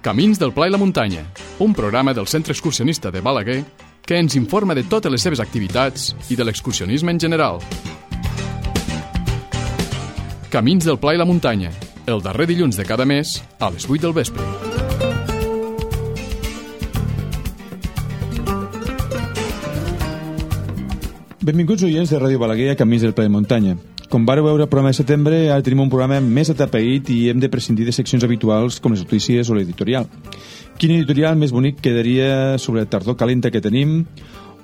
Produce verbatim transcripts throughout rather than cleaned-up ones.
Camins del Pla i la Muntanya, un programa del Centre Excursionista de Balaguer que ens informa de totes les seves activitats i de l'excursionisme en general. Camins del Pla i la Muntanya, el darrer dilluns de cada mes a les vuit del vespre. Benvinguts oients de Ràdio Balaguer a Camins del Pla i la Muntanya. Com vareu veure al programa de setembre, ara tenim un programa més atapeït i hem de prescindir de seccions habituals com les notícies o l'editorial. Quin editorial més bonic quedaria sobre la tardor calenta que tenim,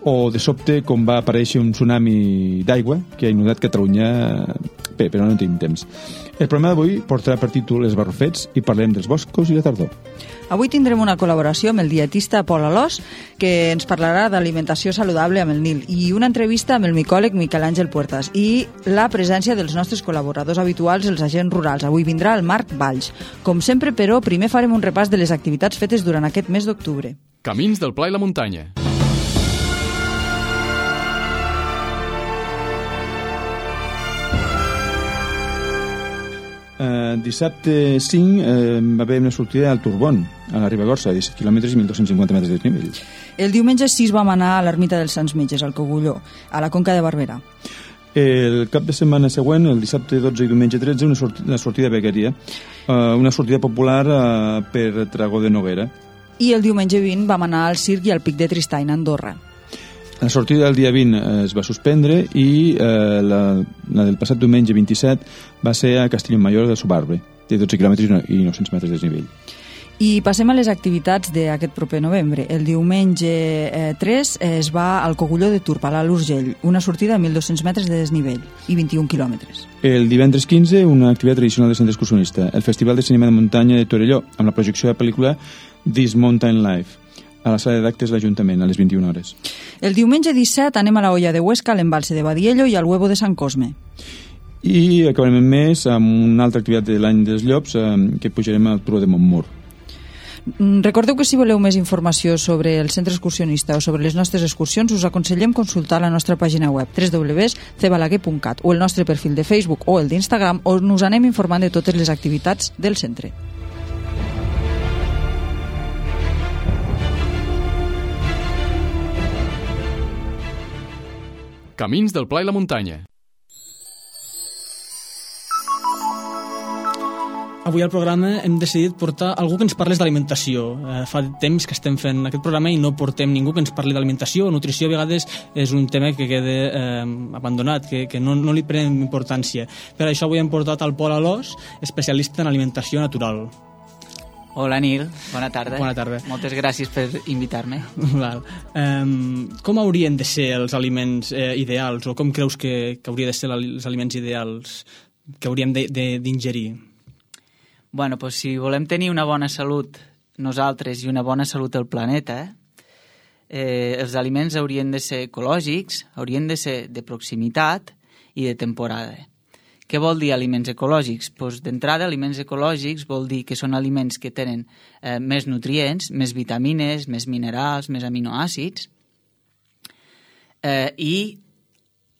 o de sobte com va aparèixer un tsunami d'aigua que ha inundat Catalunya. Bé, però no tenim temps. El programa d'avui portarà per títol Els Barrufets i parlem dels boscos i la tardor. Avui tindrem una col·laboració amb el dietista Pol Alòs, que ens parlarà d'alimentació saludable amb el Nil, i una entrevista amb el micòleg Miquel Àngel Puertas, i la presència dels nostres col·laboradors habituals, els agents rurals. Avui vindrà el Marc Valls. Com sempre, però, primer farem un repàs de les activitats fetes durant aquest mes d'octubre. Camins del Pla i la Muntanya. Uh, dissabte cinc uh, va haver una sortida al Turbón, a la Ribagorça, disset quilòmetres i mil dos-cents cinquanta metres de desnivell. El diumenge sis vam anar a l'ermita dels Sants Metges, al Cogulló, a la Conca de Barberà. El cap de setmana següent, el dissabte dotze i diumenge tretze, una, sortida, una sortida a Begueria, uh, una sortida popular uh, per Tragó de Noguera. I el diumenge vint vam anar al Circ i al Pic de Tristany, a Andorra. La sortida del dia vint es va suspendre i eh, la, la del passat diumenge vint-i-set va ser a Castelló-Mayor del Subarbre, de dotze quilòmetres i nou-cents metres de desnivell. I passem a les activitats d'aquest proper novembre. El diumenge eh, tres eh, es va al Cogulló de Turp, a l'Alt Urgell, una sortida a mil dos-cents metres de desnivell i vint-i-un quilòmetres. El divendres quinze, una activitat tradicional del Centre Excursionista, el Festival de Cinema de Muntanya de Torelló, amb la projecció de la pel·lícula This Mountain Life, a la sala d'actes de l'Ajuntament, a les vint-i-una hores. El diumenge disset anem a la Olla de Huesca, a l'Embalse de Badiello i al Huevo de Sant Cosme. I acabarem el mes amb una altra activitat de l'any dels llops, eh, que pujarem al Turó de Montmur. Recordeu que si voleu més informació sobre el centre excursionista o sobre les nostres excursions, us aconsellem consultar la nostra pàgina web w w w punt c balaguer punt cat o el nostre perfil de Facebook o el d'Instagram, on us anem informant de totes les activitats del centre. Camins del Pla i la Muntanya. Avui al programa hem decidit portar algú que ens parlés d'alimentació. Eh, fa temps que estem fent aquest programa i no portem ningú que ens parli d'alimentació. Nutrició a vegades és un tema que queda eh, abandonat, que, que no, no li prenem importància. Per això avui hem portat al Pol Alòs, especialista en alimentació natural. Hola Nil, bona tarda. Bona tarda. Moltes gràcies per invitar-me. Val. Um, com haurien de ser els aliments eh, ideals, o com creus que, que haurien de ser els aliments ideals que hauríem d'ingerir? Bueno, doncs si volem tenir una bona salut nosaltres i una bona salut al planeta, eh, els aliments haurien de ser ecològics, haurien de ser de proximitat i de temporada. Què vol dir aliments ecològics? Doncs d'entrada, aliments ecològics vol dir que són aliments que tenen eh, més nutrients, més vitamines, més minerals, més aminoàcids. Eh, I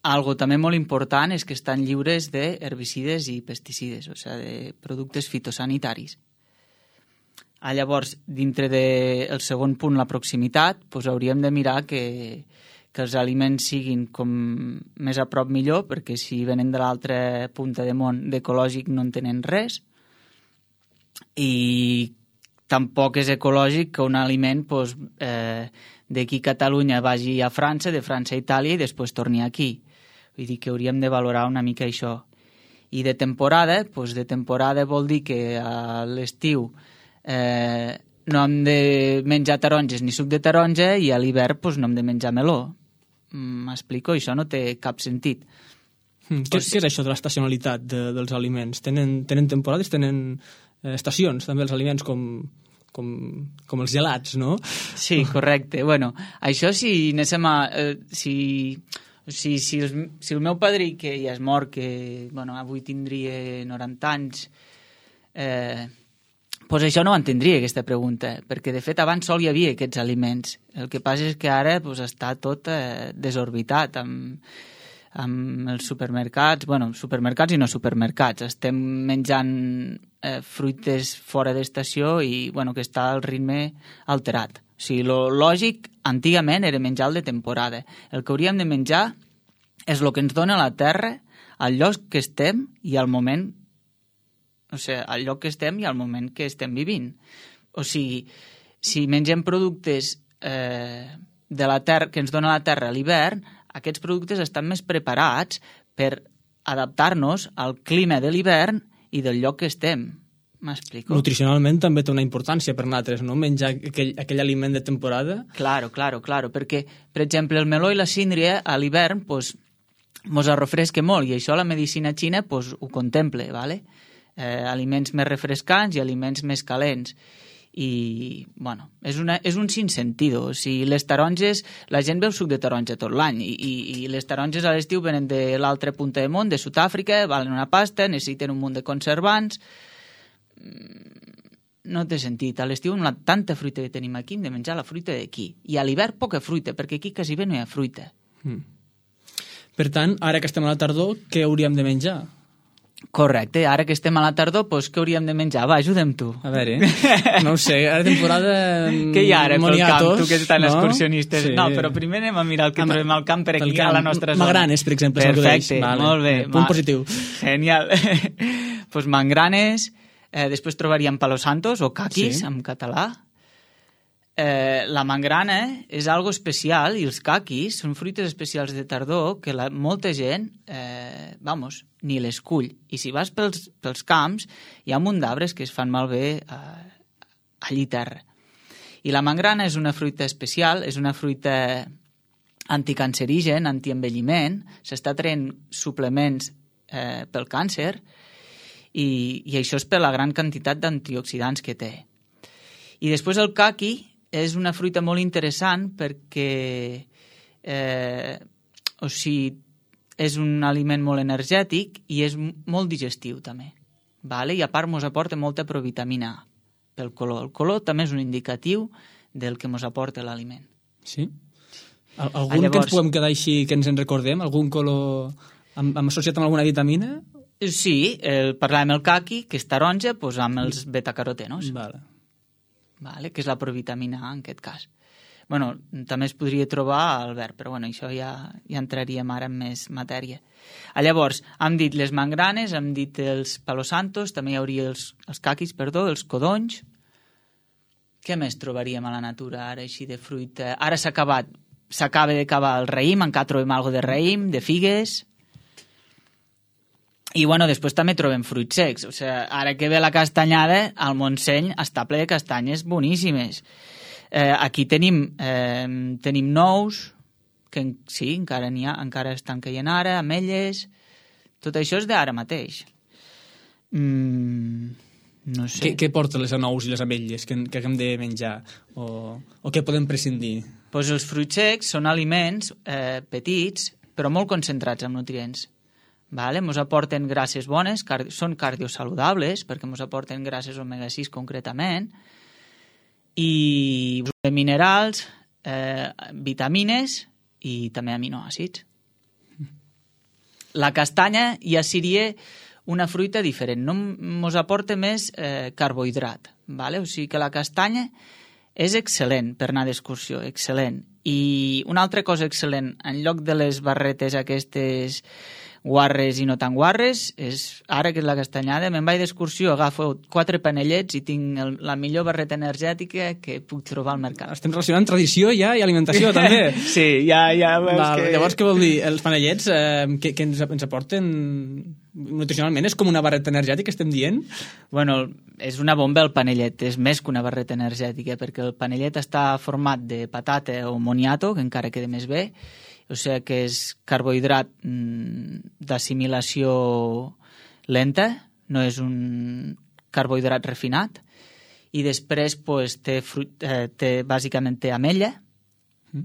algo també molt important és que estan lliures d'herbicides i pesticides, o sigui, de productes fitosanitaris. Ah, llavors, dintre del segon punt, la proximitat, doncs hauríem de mirar que que els aliments siguin com més a prop millor, perquè si venen de l'altra punta de món d'ecològic no en tenen res, i tampoc és ecològic que un aliment doncs, eh, d'aquí a Catalunya vagi a França, de França a Itàlia i després torni aquí. Vull dir que hauríem de valorar una mica això. I de temporada, doncs de temporada vol dir que a l'estiu eh, no hem de menjar taronges ni suc de taronja i a l'hivern doncs, no hem de menjar meló. M'explico? Això no té cap sentit. Mm, què, què és això de l'estacionalitat de, dels aliments? Tenen, tenen temporades, tenen eh, estacions, també els aliments com, com, com els gelats, no? Sí, correcte. Bueno, això si anéssim a... Eh, si, si, si, el, si el meu padrí, que ja és mort, que bueno, avui tindria noranta anys, eh, pues això no ho entendria, aquesta pregunta, perquè de fet abans sol hi havia aquests aliments. El que passa és que ara pues, està tot eh, desorbitat, amb, amb els supermercats, bueno, supermercats i no supermercats. Estem menjant eh, fruites fora d'estació i bueno, que està al ritme alterat. O sigui, lo lògic, antigament, era menjar el de temporada. El que hauríem de menjar és el que ens dona la terra, al lloc que estem i al moment, o sigui, al lloc que estem i al moment que estem vivint. O sigui, si mengem productes eh, de la terra, que ens dona la terra a l'hivern, aquests productes estan més preparats per adaptar-nos al clima de l'hivern i del lloc que estem. M'explico? Nutricionalment també té una importància per nosaltres, no? Menjar aquell, aquell aliment de temporada. Claro, claro, claro, perquè, per exemple, el meló i la síndria a l'hivern pues, mos refresca molt i això la medicina xina pues, ho contempla, ¿vale? Eh, aliments més refrescants i aliments més calents. I, bueno, és, una, és un sinsentido. O sigui, les taronges, la gent veu suc de taronja tot l'any i, i, i les taronges a l'estiu venen de l'altra punta del món, de Sud-àfrica, valen una pasta, necessiten un munt de conservants. No té sentit. A l'estiu, amb la tanta fruita que tenim aquí, hem de menjar la fruita d'aquí. I a l'hivern, poca fruita, perquè aquí quasi bé no hi ha fruita. Mm. Per tant, ara que estem a la tardor, què hauríem de menjar? Correcte, ara que estem a la tardor, doncs què hauríem de menjar? Va, ajuda'm tu. A veure, no ho sé, ara temporada... Què hi ha ara pel camp, tu que ets tan no? excursionistes? Sí. No, però primer anem a mirar el que Am trobem al camp per aquí, camp. A la nostra zona. Magranes, per exemple. Perfecte, vale. molt bé. Punt Ma... positiu. Genial. Doncs mangranes, eh, després trobaríem palos santos o caquis, sí. En català. Eh, la mangrana és algo especial i els caquis són fruites especials de tardor que la, molta gent, eh, vamos, ni les cull. I si vas pels, pels camps, hi ha un munt d'arbres que es fan malbé eh, allí terra. I la mangrana és una fruita especial, és una fruita anticancerigen, antienvelliment, s'està traient suplements eh, pel càncer i, i això és per la gran quantitat d'antioxidants que té. I després el caqui és una fruita molt interessant perquè eh, o sigui, és un aliment molt energètic i és molt digestiu també. Vale? I a part ens aporta molta provitamina A pel color. El color també és un indicatiu del que ens aporta l'aliment. Sí? Algun Llavors, que ens podem quedar així, que ens en recordem? Algun color amb, amb associat amb alguna vitamina? Sí, el, parlàvem del caqui, que és taronja, doncs amb els betacarotenos. Vale. Vale, que és la provitamina A en aquest cas. Bueno, també es podria trobar al verd, però bueno, això ja, ja entraríem ara en més matèria. Llavors, hem dit les mangranes, hem dit els palos santos, també hi hauria els, els caquis, perdó, els codonys. Què més trobaríem a la natura ara, així de fruita? Ara s'ha acabat, s'acaba d'acabar el raïm, encara trobem alguna de raïm, de figues. I, bueno, després també trobem fruits secs. O sigui, ara que ve la castanyada, al Montseny està ple de castanyes boníssimes. Eh, aquí tenim, eh, tenim nous, que sí, encara n'hi ha, encara estan caient ara, ametlles... Tot això és d'ara mateix. Mm, no sé. Què, què porta les nous i les ametlles que, que hem de menjar? O, o què podem prescindir? Pues els fruits secs són aliments eh, petits, però molt concentrats en nutrients. Vale? Ens aporten grasses bones, car són cardiosaludables, perquè ens aporten grasses omega sis concretament, i minerals, eh, vitamines i també aminoàcids. La castanya ja seria una fruita diferent, no ens aporta més eh, carbohidrat. Vale? O sigui que la castanya és excel·lent per anar d'excursió, excel·lent. I una altra cosa excel·lent, en lloc de les barretes aquestes guarres i no tan guarres, és ara que és la castanyada, me'n vaig d'excursió, agafo quatre panellets i tinc el, la millor barreta energètica que puc trobar al mercat. Estem relacionant tradició ja i alimentació, també. Sí, ja, ja veus Val, que... Llavors, què vol dir? Els panellets eh, que, que ens, ens aporten nutricionalment? És com una barreta energètica, estem dient? Bueno, és una bomba el panellet, és més que una barreta energètica, perquè el panellet està format de patata o moniato, que encara queda més bé, o sigui que és carbohidrat d'assimilació lenta, no és un carbohidrat refinat, i després pues, té, fruit, eh, té, bàsicament té ametlla, mm.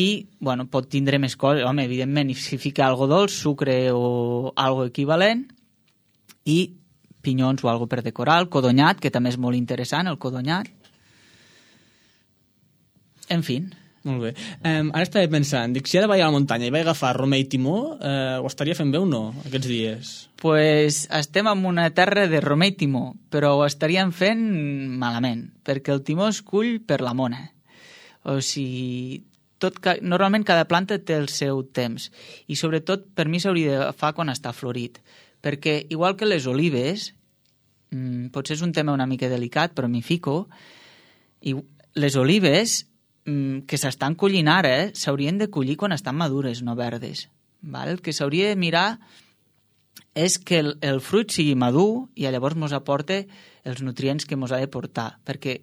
i bueno, pot tindre més coses, home, evidentment, si fica algo dolç, sucre o algo equivalent, i pinyons o algo per decorar, el codonyat, que també és molt interessant, el codonyat. En fi... Molt bé. Um, ara estava pensant, dic, si ara vaig a la muntanya i vaig agafar Romer i Timó, eh, ho estaria fent bé o no, aquests dies? Pues estem en una terra de Romer i Timó, però ho estaríem fent malament, perquè el timó es cull per la mona. O sigui, tot, normalment cada planta té el seu temps, i sobretot per mi s'hauria de fer quan està florit, perquè igual que les olives, mmm, potser és un tema una mica delicat, però m'hi fico, i les olives que s'estan collint ara s'haurien de collir quan estan madures, no verdes. Val? El que s'hauria de mirar és que el, el fruit sigui madur i llavors mos aporte els nutrients que mos ha de portar, perquè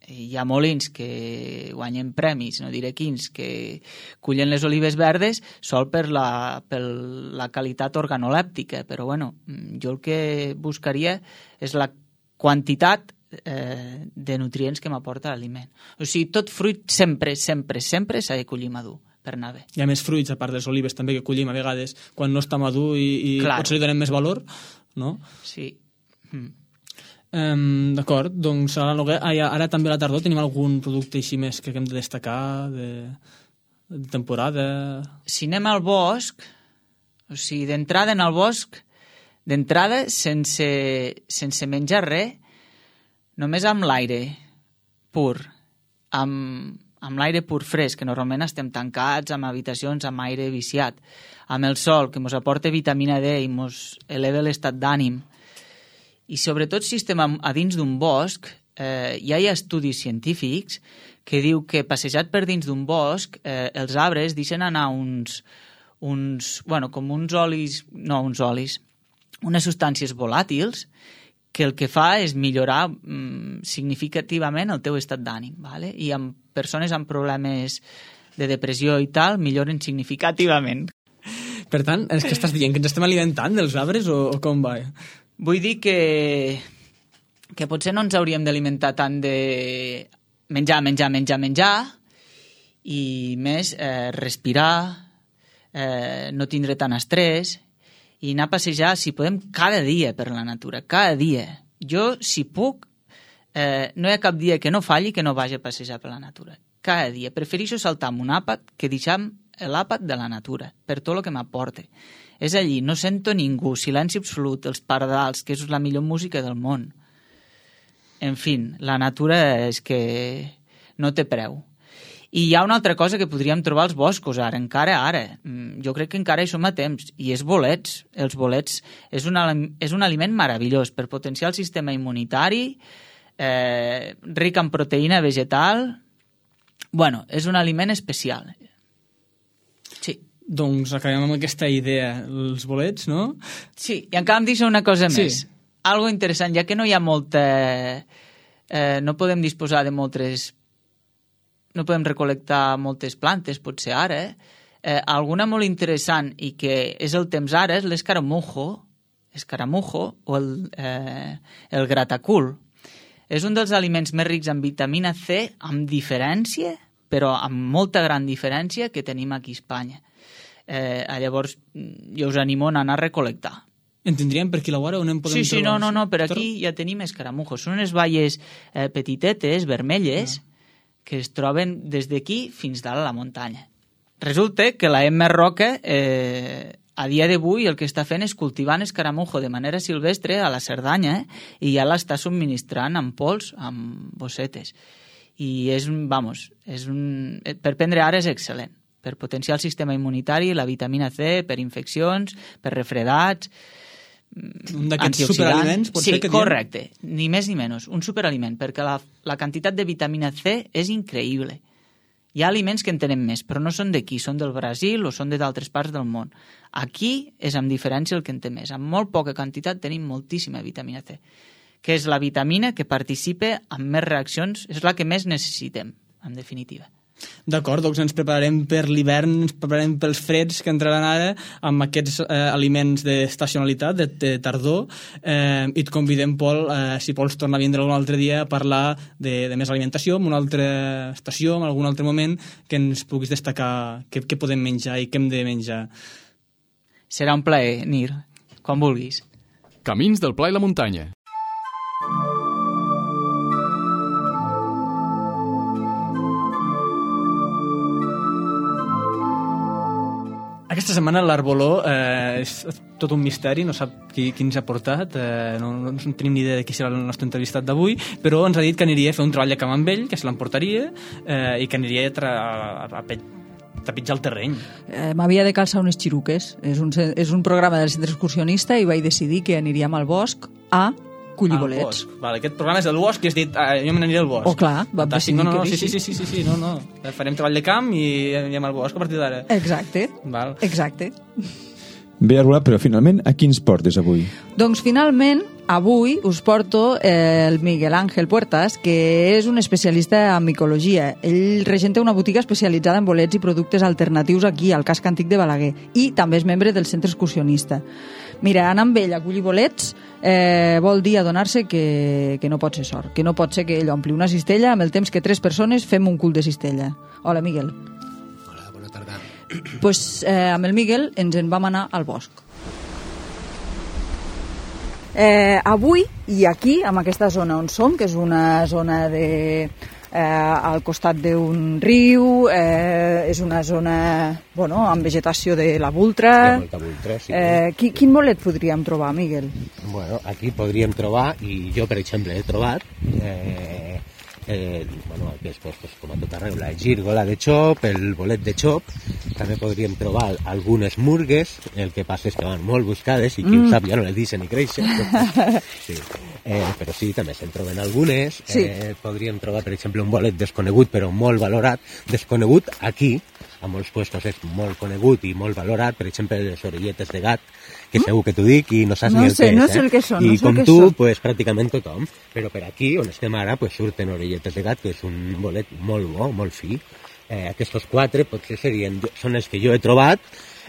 hi ha molins que guanyen premis, no diré quins, que cullen les olives verdes sol per la, per la qualitat organolèptica, però bueno, jo el que buscaria és la quantitat Eh, de nutrients que m'aporta l'aliment. O sigui, tot fruit sempre, sempre, sempre s'ha de collir madur per anar bé. Hi ha més fruits, a part de les olives, també, que collim a vegades quan no està madur i, i claro. potser li donem més valor, no? Sí. Mm. Um, D'acord, doncs ara, ara també a la tardor tenim algun producte així més que hem de destacar de, de temporada? Si anem al bosc, o sigui, d'entrada en el bosc, d'entrada sense, sense menjar res, només amb l'aire pur, amb, amb l'aire pur fresc, que normalment estem tancats amb habitacions amb aire viciat, amb el sol, que ens aporta vitamina D i ens eleva l'estat d'ànim. I sobretot si estem a dins d'un bosc, eh, ja hi ha estudis científics que diu que passejat per dins d'un bosc, eh, els arbres deixen anar uns, uns, bueno, com uns olis, no uns olis, unes substàncies volàtils, que el que fa és millorar mm, significativament el teu estat d'ànim, ¿vale? I amb persones amb problemes de depressió i tal, milloren significativament. Per tant, és que estàs dient que ens estem alimentant dels arbres o, o com va? Vull dir que, que potser no ens hauríem d'alimentar tant de menjar, menjar, menjar, menjar, i més eh, respirar, eh, no tindre tant estrès, i anar a passejar, si podem, cada dia per la natura, cada dia. Jo, si puc, eh, no hi ha cap dia que no falli que no vagi a passejar per la natura. Cada dia. Prefereixo saltar amb un àpat que deixar l'àpat de la natura, per tot el que m'aporta. És allí, no sento ningú, silenci absolut, els pardals, que és la millor música del món. En fi, la natura és que no té preu. I hi ha una altra cosa que podríem trobar als boscos ara, encara ara. Jo crec que encara hi som a temps, i és bolets. Els bolets és un, és un aliment meravellós per potenciar el sistema immunitari, eh, ric en proteïna vegetal. Bueno, és un aliment especial. Sí. Doncs acabem amb aquesta idea, els bolets, no? Sí, i encara em deixa una cosa sí. més. Algo interessant, ja que no hi ha molta... Eh, no podem disposar de moltes... no podem recol·lectar moltes plantes, potser ara, eh, alguna molt interessant i que és el temps ara és l'escaramujo, escaramujo o el, eh, el gratacul. És un dels aliments més rics en vitamina C, amb diferència, però amb molta gran diferència que tenim aquí a Espanya. Eh, llavors, jo us animo a anar a recol·lectar. En tindríem per aquí la vora on en podem sí, sí, trobar? no, no, no, per aquí ja tenim escaramujos. Són unes baies eh, petitetes, vermelles, ah. que es troben des d'aquí fins dalt a la muntanya. Resulta que la Emma Roca, eh, a dia d'avui, el que està fent és cultivant escaramujo de manera silvestre a la Cerdanya eh, i ja l'està subministrant amb pols, amb bossetes. I és, vamos, és un, per prendre ara és excel·lent, per potenciar el sistema immunitari, la vitamina C, per infeccions, per refredats, un d'aquests superaliments, pot sí, ser que diem? Correcte, ni més ni menys, un superaliment, perquè la, la quantitat de vitamina C és increïble. Hi ha aliments que en tenen més, però no són d'aquí, són del Brasil o són d'altres parts del món. Aquí és amb diferència el que en té més. Amb molt poca quantitat tenim moltíssima vitamina C, que és la vitamina que participa en més reaccions, és la que més necessitem, en definitiva. D'acord, doncs ens prepararem per l'hivern, ens prepararem pels freds que entraran ara amb aquests eh, aliments d'estacionalitat, de, de tardor, eh, i et convidem, Pol, eh, si vols tornar a vindre algun altre dia a parlar de, de més alimentació, en una altra estació, en algun altre moment, que ens puguis destacar què, què podem menjar i què hem de menjar. Serà un plaer, Nir, quan vulguis. Camins del Pla i la Muntanya. aquesta setmana l'Arboló eh, és tot un misteri, no sap qui, qui ens ha portat, eh, no, no, no tenim ni idea de qui serà el nostre entrevistat d'avui, però ens ha dit que aniria a fer un treball de camp amb ell, que se l'emportaria eh, i que aniria a, tra a, a, a trepitjar el terreny. Eh, M'havia de calçar unes xiruques. És un, és un programa del centre excursionista i vaig decidir que aniríem al bosc a collir bolets. Vale, aquest programa és del bosc i has dit, ah, jo me n'aniré al bosc. Oh, clar, vam decidir no, no, no, que sí, sí, sí, sí, sí, sí, no, no. Farem treball de camp i anirem al bosc a partir d'ara. Exacte, Val. exacte. Bé, Arbolà, però finalment a quins portes avui? Doncs finalment, avui us porto eh, el Miguel Ángel Puertas, que és un especialista en micologia. Ell regenta una botiga especialitzada en bolets i productes alternatius aquí, al casc antic de Balaguer, i també és membre del centre excursionista. Mira, anar amb ell a collir bolets eh, vol dir adonar-se que, que no pot ser sort, que no pot ser que ell ompli una cistella amb el temps que tres persones fem un cul de cistella. Hola, Miguel. Hola, bona tarda. Pues, eh, amb el Miguel ens en vam anar al bosc. Eh, avui, i aquí, en aquesta zona on som, que és una zona de, eh, al costat d'un riu, eh, és una zona bueno, amb vegetació de la vultra. Hi ha molta vultra, sí. Eh, qui, quin bolet podríem trobar, Miguel? Bueno, aquí podríem trobar, i jo, per exemple, he trobat... Eh, Eh, bueno, aquí és pues, pues, com a tot arreu, la gírgola de xop, el bolet de xop, també podríem trobar algunes murgues, el que passa és que van molt buscades i qui mm. ho sap ja no les deixen ni créixer. Sí. Eh, però sí, també se'n troben algunes. Sí. Eh, podríem trobar, per exemple, un bolet desconegut però molt valorat. Desconegut aquí, a molts puestos és molt conegut i molt valorat, per exemple, les orelletes de gat, que segur que t'ho dic i no saps no ni el sé, que és. No sé eh? el que són, I no sé com el que tu, són. pues, pràcticament tothom. Però per aquí, on estem ara, pues, surten orelletes de gat, que és un bolet molt bo, molt fi. Eh, aquests quatre potser serien, són els que jo he trobat.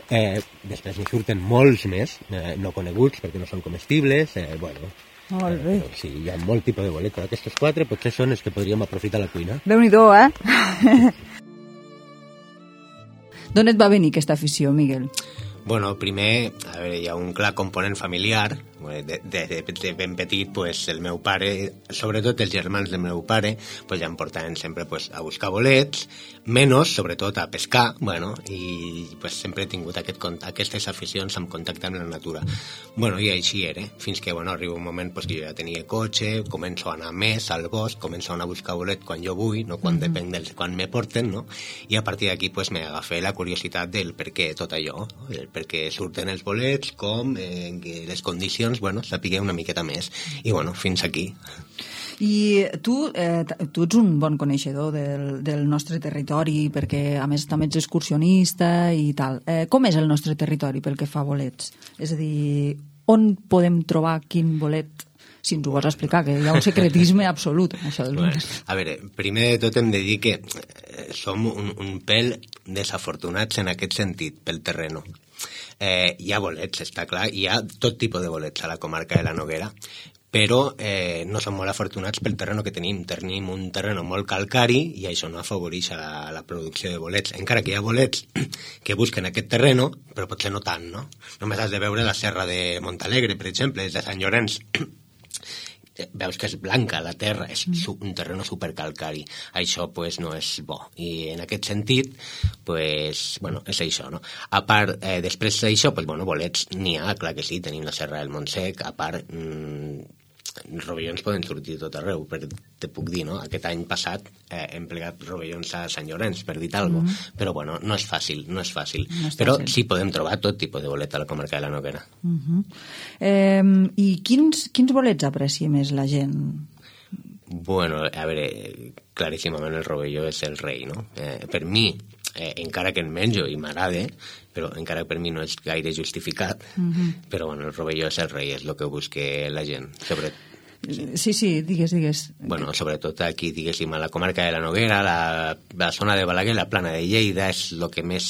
Eh, després n'hi surten molts més, eh, no coneguts perquè no són comestibles. Eh, bueno, Molt bé. eh, sí, hi ha molt tipus de bolet, però aquests quatre potser són els que podríem aprofitar a la cuina. Déu-n'hi-do, eh? D'on et va venir aquesta afició, Miguel? Bueno, primer, a veure, hi ha un clar component familiar. De, de, de ben petit, pues, el meu pare, sobretot els germans del meu pare, pues, ja em portaven sempre pues, a buscar bolets, menys, sobretot, a pescar, bueno, i pues, sempre he tingut aquest, aquestes aficions amb contacte amb la natura. Bueno, i així era, fins que bueno, arriba un moment pues, que jo ja tenia cotxe, començo a anar més al bosc, començo a anar a buscar bolet quan jo vull, no quan mm-hmm. depèn del quan me porten, no? I a partir d'aquí pues, m'agafé la curiositat del per què tot allò, no? El per què surten els bolets, com, eh, les condicions, bueno, sapigué una miqueta més. I, bueno, fins aquí. I tu, eh, tu ets un bon coneixedor del, del nostre territori, perquè, a més, també ets excursionista i tal. Eh, com és el nostre territori pel que fa a bolets? És a dir, on podem trobar quin bolet? Si ens ho vols explicar, que hi ha un secretisme absolut en això dels bolets. A veure, primer de tot hem de dir que som un, un pèl desafortunats en aquest sentit, pel terreno. Eh, hi ha bolets, està clar, hi ha tot tipus de bolets a la comarca de la Noguera, però eh, no som molt afortunats pel terreno que tenim. Tenim un terreno molt calcari i això no afavoreix a la, la producció de bolets. Encara que hi ha bolets que busquen aquest terreno, però potser no tant, no? Només has de veure la serra de Montalegre, per exemple, és de Sant Llorenç. Veus que és blanca la terra, és un terreno supercalcari. Això pues, no és bo. I en aquest sentit, pues, bueno, és això, no? A part, eh, després d'això, pues, bueno, bolets n'hi ha, clar que sí, tenim la serra del Montsec, a part, mmm, rovellons poden sortir tot arreu, però te puc dir, no? Aquest any passat eh, hem plegat rovellons a Sant Llorenç, per dir alguna cosa, mm-hmm. però bueno, no és fàcil, no és fàcil. No és però fàcil. Sí podem trobar tot tipus de bolet a la comarca de la Noguera. Mm-hmm. eh, I quins, quins bolets aprecia més la gent? Bueno, a veure, claríssimament el rovelló és el rei, no? Eh, per mi, eh, encara que en menjo i m'agrada, però encara que per mi no és gaire justificat, mm-hmm. però bueno, el rovelló és el rei, és el que busca la gent, sobretot. Sí, sí, digues, digues. Bueno, sobretot aquí, diguéssim, a la comarca de la Noguera, la, la zona de Balaguer, la plana de Lleida, és el que més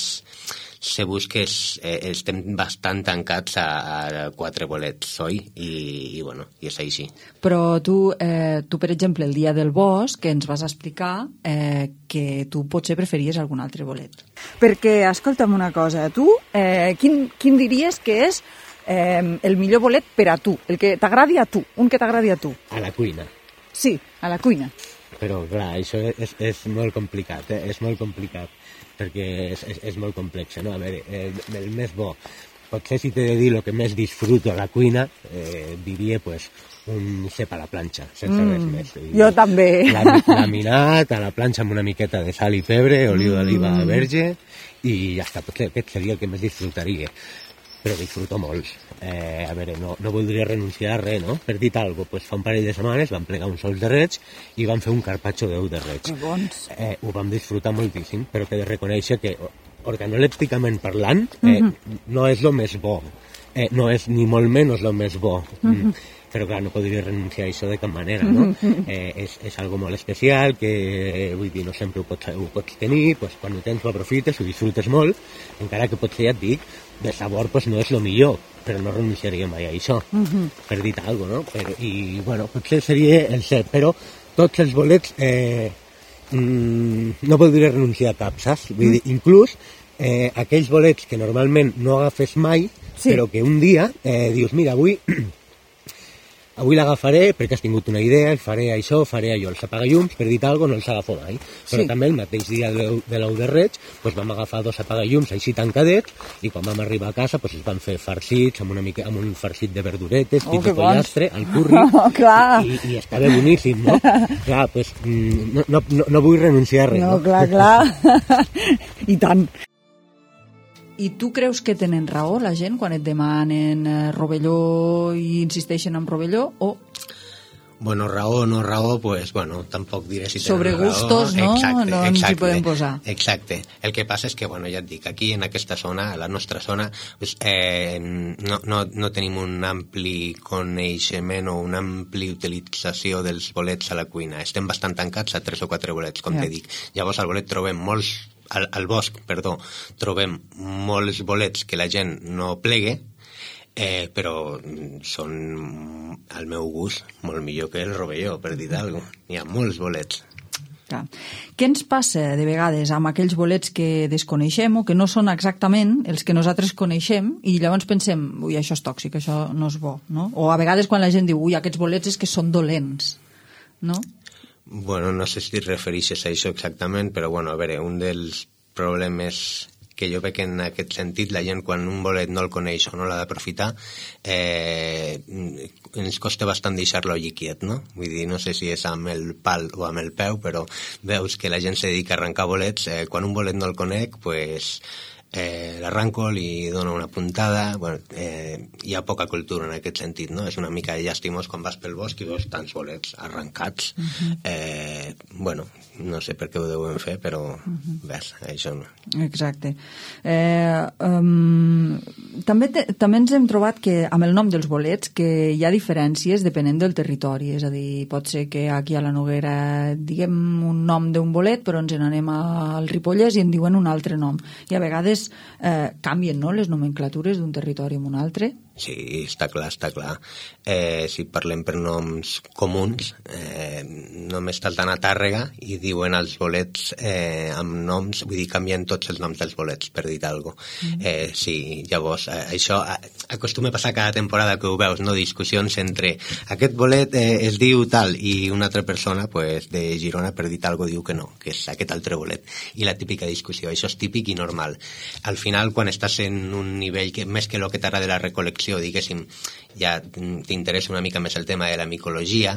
se busca, és, eh, estem bastant tancats a, a quatre bolets, oi? I, i bueno, i és així. Però tu, eh, tu, per exemple, el dia del bosc, que ens vas explicar eh, que tu potser preferies algun altre bolet. Perquè, escolta'm una cosa, tu, eh, quin, quin diries que és Eh, el millor bolet per a tu, el que t'agradi a tu, un que t'agradi a tu? A la cuina. Sí, a la cuina. però clar, això és, és molt complicat, eh? És molt complicat, perquè és, és, és molt complex, no? A veure, eh, el més bo, potser si t'he de dir el que més disfruto a la cuina, eh, diria, pues, un cep a la planxa, sense mm, res més. I jo també. Laminat, a la planxa amb una miqueta de sal i pebre, oliu d'oliva mm. verge, i ja està, potser aquest seria el que més disfrutaria. Però disfruto molt. Eh, a veure, no, no voldria renunciar a res, no? Per dir alguna cosa, pues, fa un parell de setmanes vam plegar uns ous de reig i vam fer un carpaccio d'ou de reig. Que bons. Eh, ho vam disfrutar moltíssim, però que he de reconèixer que organolèpticament parlant eh, mm-hmm. no és el més bo. Eh, no és ni molt menys el més bo. Mm-hmm. Però clar, no podria renunciar a això de cap manera, no? Eh, és, és algo molt especial, que eh, vull dir, no sempre ho pots, ho pots tenir, pues, quan ho tens ho aprofites, ho disfrutes molt, encara que potser ja et dic, de sabor pues, no és el millor, però no renunciaria mai a això, uh-huh. per dir alguna cosa, no? Però, i, bueno, potser seria el cep, però tots els bolets eh, mm, no podria renunciar a cap, saps? Vull dir, inclús eh, aquells bolets que normalment no agafes mai, sí. però que un dia eh, dius, mira, avui... Avui l'agafaré perquè has tingut una idea, faré això, faré allò, els apagallums, per dir alguna cosa, no els agafo mai. Però sí. també el mateix dia de l'ou de reig doncs vam agafar dos apagallums així tancadets i quan vam arribar a casa doncs es van fer farcits amb, una mica, amb un farcit de verduretes, oh, tipus pollastre, al curri, oh, i, i estava boníssim, no? Clar, doncs no, no, no, no vull renunciar a res. No, no? clar, clar. I tant. I tu creus que tenen raó la gent quan et demanen eh, rovelló i insisteixen en rovelló o... Bueno, raó o no raó, pues, bueno, tampoc diré si tenen sobre gustos, raó. no? Exacte, no ens exacte, hi podem posar. Exacte. El que passa és que, bueno, ja et dic, aquí en aquesta zona, a la nostra zona, pues, eh, no, no, no tenim un ampli coneixement o una ampli utilització dels bolets a la cuina. Estem bastant tancats a tres o quatre bolets, com yeah. te dic. Llavors al bolet trobem molts Al, al bosc, perdó, trobem molts bolets que la gent no plegue, eh, però són, al meu gust, molt millor que el rovelló, per dir alguna cosa. Hi ha molts bolets. Clar. Què ens passa de vegades amb aquells bolets que desconeixem o que no són exactament els que nosaltres coneixem i llavors pensem, ui, això és tòxic, això no és bo, no? O a vegades quan la gent diu, ui, aquests bolets és que són dolents, no? Bueno, no sé si et refereixes a això exactament, però bueno, a veure, un dels problemes que jo veig en aquest sentit, la gent quan un bolet no el coneix o no l'ha d'aprofitar, eh, ens costa bastant deixar-lo allí quiet, no? Vull dir, no sé si és amb el pal o amb el peu, però veus que la gent se dedica a arrencar bolets, eh, quan un bolet no el conec, pues... Eh, l'arranco, li dono una puntada, bueno, eh, hi ha poca cultura en aquest sentit, no? És una mica llàstimós quan vas pel bosc i veus tants bolets arrencats. Uh-huh. eh, bueno, no sé per què ho deuen fer, però uh-huh. ves, això no. Exacte. Eh, um, també, te, també ens hem trobat que amb el nom dels bolets que hi ha diferències depenent del territori, és a dir, pot ser que aquí a la Noguera diguem un nom d'un bolet, però ens n'anem al Ripollès i en diuen un altre nom. I a vegades Eh, canvien, no?, les nomenclatures d'un territori en un altre. Sí, està clar, està clar. Eh, si parlem per noms comuns, eh, només salten a Tàrrega i diuen els bolets eh, amb noms, vull dir, canvien tots els noms dels bolets, per dir alguna cosa. Mm. Eh, sí, llavors, eh, això eh, acostuma a passar cada temporada que ho veus, no? Discussions entre aquest bolet eh, es diu tal i una altra persona pues, de Girona, per dir alguna cosa, diu que no, que és aquest altre bolet. I la típica discussió, això és típic i normal. Al final, quan estàs en un nivell que més que el que t'agrada de la recol·lecció, diguéssim, ja t'interessa una mica més el tema de la micologia,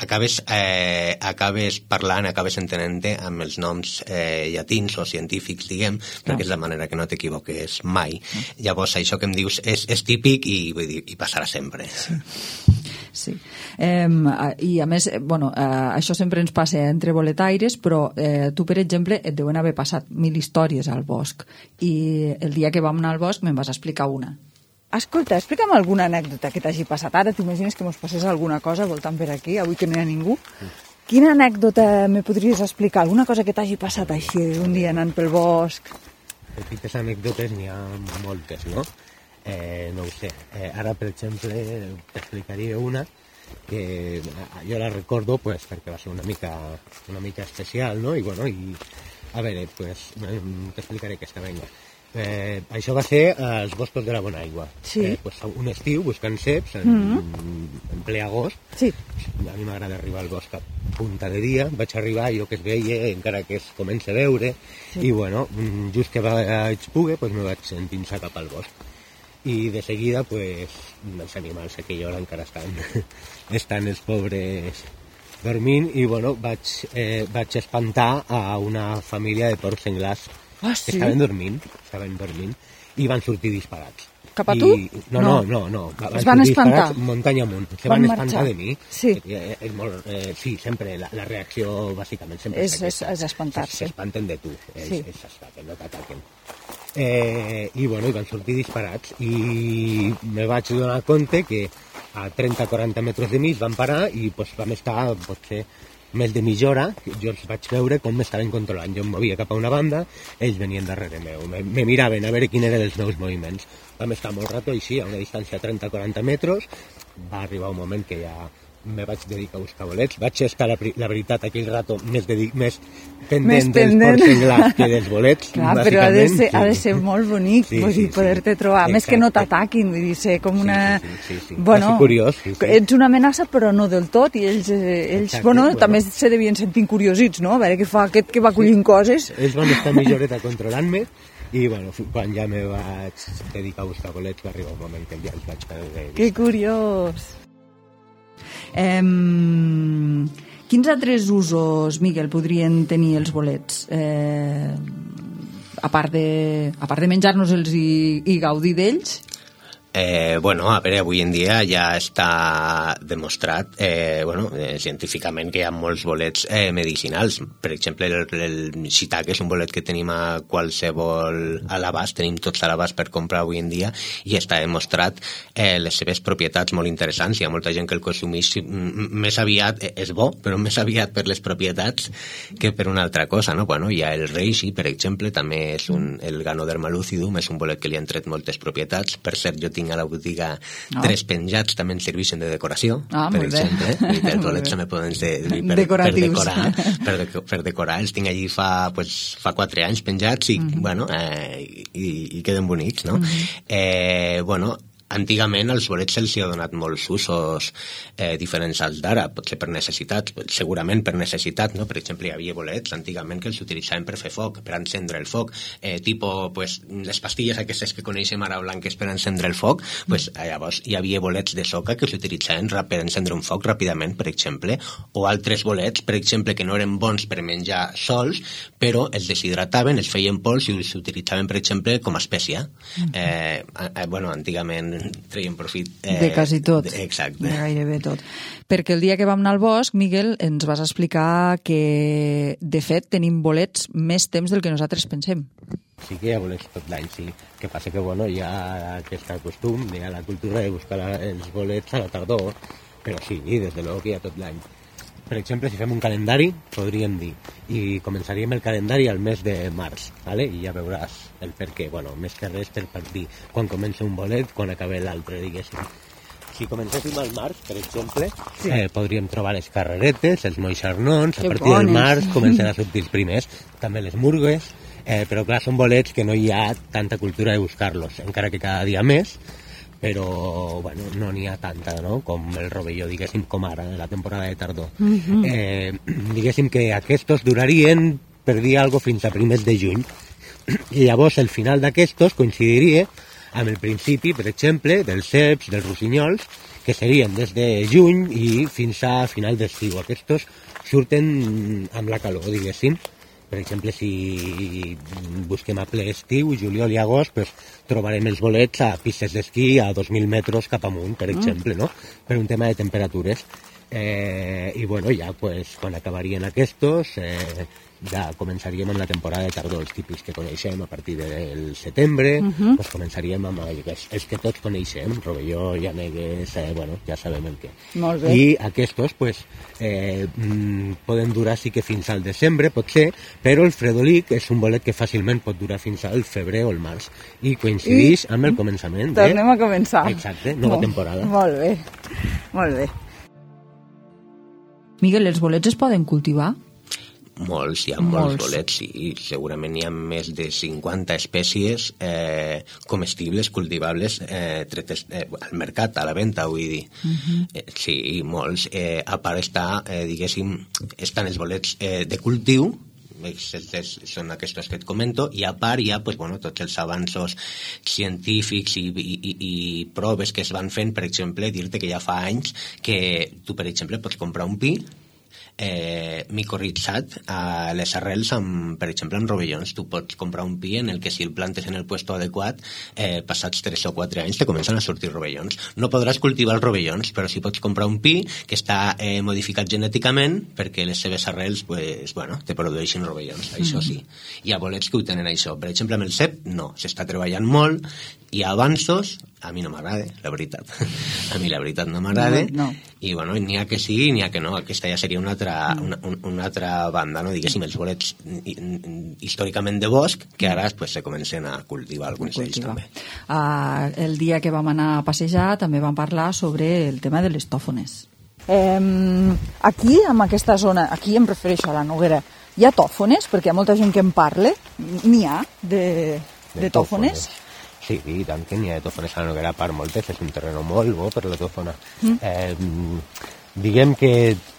acabes, eh, acabes parlant, acabes entenent-te amb els noms eh, llatins o científics, diguem, perquè és la manera que no t'equivoques mai. Llavors, això que em dius és, és típic i, vull dir, i passarà sempre. Sí. Sí. Eh, I a més, bueno, eh, això sempre ens passa entre boletaires, però eh, tu, per exemple, et deuen haver passat mil històries al bosc i el dia que vam anar al bosc me'n vas explicar una. Escolta, explica'm alguna anècdota que t'hagi passat. Ara t'imagines que mos passés alguna cosa voltant per aquí, avui que no hi ha ningú. Quina anècdota me podries explicar? Alguna cosa que t'hagi passat així un dia anant pel bosc? Petites anècdotes n'hi ha moltes, no? Eh, no ho sé. Eh, ara, per exemple, t'explicaria una que jo la recordo pues, perquè va ser una mica, una mica especial, no? I, bueno, i, a veure, pues, t'explicaré aquesta, venga. Eh, això va ser als boscos de la Bonaigua. Sí. Eh, pues, un estiu buscant ceps en, mm-hmm. en ple agost. Sí. A mi m'agrada arribar al bosc a punta de dia. Vaig arribar, jo que es veia, encara que es comença a veure, sí. I bueno, just que vaig poder, pues, me vaig endinsar cap al bosc. I de seguida, pues, els animals a aquella hora encara estan, estan els pobres dormint, i bueno, vaig, eh, vaig espantar a una família de porcs senglars. Ah, sí? Que estaven dormint, estaven dormint, i van sortir disparats. Cap a tu? I, no, no, no, no, no. Es van espantar? Muntanya amunt. Se van van marxar. espantar de mi. Sí. Eh, és molt, eh, sí, sempre, la, la reacció, bàsicament, sempre és, és, és espantar-se. S'espanten de tu, ells, sí. ells s'espanten, no t'ataquen. Eh, I, bueno, i van sortir disparats, i me vaig donar compte que a trenta a quaranta metres de mi es van parar, i pues, vam estar, potser, més de mitja hora, jo els vaig veure com m'estaven controlant. Jo em movia cap a una banda, ells venien darrere meu, me, me miraven a veure quins eren els meus moviments. Vam estar molt rato així, a una distància de trenta a quaranta metres, va arribar un moment que ja me vaig dedicar a buscar bolets. Vaig estar, la, la veritat, aquell rato més, dedic, més pendent dels porcs senglars que dels bolets. Clar, però ha de, ser, sí. ha de ser molt bonic, sí, vull dir, sí, poder-te sí. trobar. Exacte. Més que no t'ataquin, vull dir, ser com una... Sí, sí, sí, sí. Bueno, curiós, sí, sí. Ets una amenaça, però no del tot, i ells, ells Exacte, bueno, bueno, també se devien sentir curiosits, no? A veure què fa aquest que va collint sí. coses. Ells van estar mitja horeta controlant-me, i bueno, quan ja me vaig dedicar a buscar bolets va arribar un moment que ja els vaig perdre. Que curiós! Eh, quins altres usos, Miguel, podrien tenir els bolets? Eh, a part de, a part de menjar-nos-els i, i gaudir d'ells? Eh, bueno, a veure, avui en dia ja està demostrat eh, bueno, eh, científicament que hi ha molts bolets eh, medicinals. Per exemple, el, el shiitake és un bolet que tenim a qualsevol a l'abast, tenim tots a l'abast per comprar avui en dia, i està demostrat eh, les seves propietats molt interessants. Hi ha molta gent que el consumeix més aviat, eh, és bo, però més aviat per les propietats que per una altra cosa, no? Bueno, hi ha el reishi, per exemple, també és un, el Ganoderma lucidum, és un bolet que li han tret moltes propietats. Per cert, jo tinc a la botiga no. tres penjats, també ens serveixen de decoració, ah, per exemple, i els bolets també poden servir per, per decorar, per, de, per decorar, els tinc allí fa, pues, fa quatre anys penjats i, mm-hmm. bueno, eh, i, i queden bonics, no? Mm-hmm. Eh, bueno, antigament als bolets se'ls ha donat molts usos eh, diferents als d'ara, potser per necessitat, segurament per necessitat, no? Per exemple, hi havia bolets antigament que els utilitzaven per fer foc, per encendre el foc, eh, tipo, pues, les pastilles aquestes que coneixem ara blanques per encendre el foc, pues, llavors hi havia bolets de soca que s'utilitzaven per encendre un foc ràpidament, per exemple, o altres bolets, per exemple, que no eren bons per menjar sols, però els deshidrataven, els feien pols i els utilitzaven, per exemple, com a espècia. Eh, eh, bueno, antigament treien profit eh, de quasi tot, de, exacte, de gairebé tot, perquè el dia que vam anar al bosc, Miguel, ens vas explicar que de fet tenim bolets més temps del que nosaltres pensem. Sí que hi ha bolets tot l'any, sí, que passa que bueno, hi ha aquest costum, hi ha la cultura de buscar la, els bolets a la tardor, però sí, des de l'ou que hi ha tot l'any. Per exemple, si fem un calendari, podríem dir, i començaríem el calendari al mes de març, ¿vale? I ja veuràs el per què. Bueno, més que res per dir quan comença un bolet, quan acaba l'altre, diguéssim. Si comencéssim al març, per exemple, sí. eh, podríem trobar les carreretes, els moixarnons, a partir del març començaran a sortir els primers, també les murgues, eh, però clar, són bolets que no hi ha tanta cultura de buscar-los, encara que cada dia més, però bueno, no n'hi ha tanta, no? Com el rovelló, diguéssim, com ara, la temporada de tardor. Mm-hmm. eh, diguéssim que aquests durarien, per dir alguna cosa, fins a primers de juny. I llavors el final d'aquestos coincidiria amb el principi, per exemple, dels ceps, dels rossinyols, que serien des de juny i fins a final d'estiu. Aquests surten amb la calor, diguéssim. Per exemple, si busquem a ple estiu, juliol i agost, pues, trobarem els bolets a pistes d'esquí a dos mil metres cap amunt, per exemple, no? Per un tema de temperatures. Eh, I bueno, ja pues, quan acabarien aquests, eh, ja començaríem amb la temporada de tardor, els típics que coneixem a partir del setembre, uh-huh. pues començaríem amb els, els que tots coneixem, rovelló, llanegues, eh, bueno, ja sabem el què. Molt bé. I aquests, pues, eh, poden durar sí que fins al desembre, potser, però el fredolic és un bolet que fàcilment pot durar fins al febrer o el març, i coincideix I... amb el començament. Tornem a començar. Exacte, nova molt, temporada. Molt bé, molt bé. Miguel, els bolets es poden cultivar? Molts, hi ha molts, molts bolets, sí. Segurament hi ha més de cinquanta espècies eh, comestibles, cultivables, eh, tretes eh, al mercat, a la venda, vull dir. Uh-huh. eh, sí, molts. Eh, a part està, eh, diguéssim, estan els bolets eh, de cultiu, són aquests que et comento, i a part hi ha pues, bueno, tots els avanços científics i, i, i, i proves que es van fent, per exemple, dir-te que ja fa anys que tu, per exemple, pots comprar un pi eh, micorritzat a les arrels, amb, per exemple, amb rovellons. Tu pots comprar un pi en el que si el plantes en el puesto adequat, eh, passats tres o quatre anys te comencen a sortir rovellons. No podràs cultivar els rovellons, però sí pots comprar un pi que està eh, modificat genèticament perquè les seves arrels pues, bueno, te produeixin rovellons, això sí. Hi ha bolets que ho tenen això. Per exemple, amb el cep, no. S'està treballant molt, hi ha avanços, a mi no m'agrada, la veritat. A mi la veritat no m'agrada. No, no. I bueno, n'hi ha que sí, n'hi ha que no. Aquesta ja seria una altra, una, una altra banda, no? Diguéssim, els bolets històricament de bosc, que ara pues, se comencen a cultivar alguns d'ells també. Uh, el dia que vam anar a passejar també vam parlar sobre el tema de les tòfones. Eh, aquí, en aquesta zona, aquí em refereixo a la Noguera, hi ha tòfones? Perquè hi ha molta gent que en parla. N'hi ha de, de, de tòfones? Sí, i tant que n'hi ha de tòfones a la Noguera, a part moltes, és un terreno molt bo per la tòfona. Mm. Eh, diguem que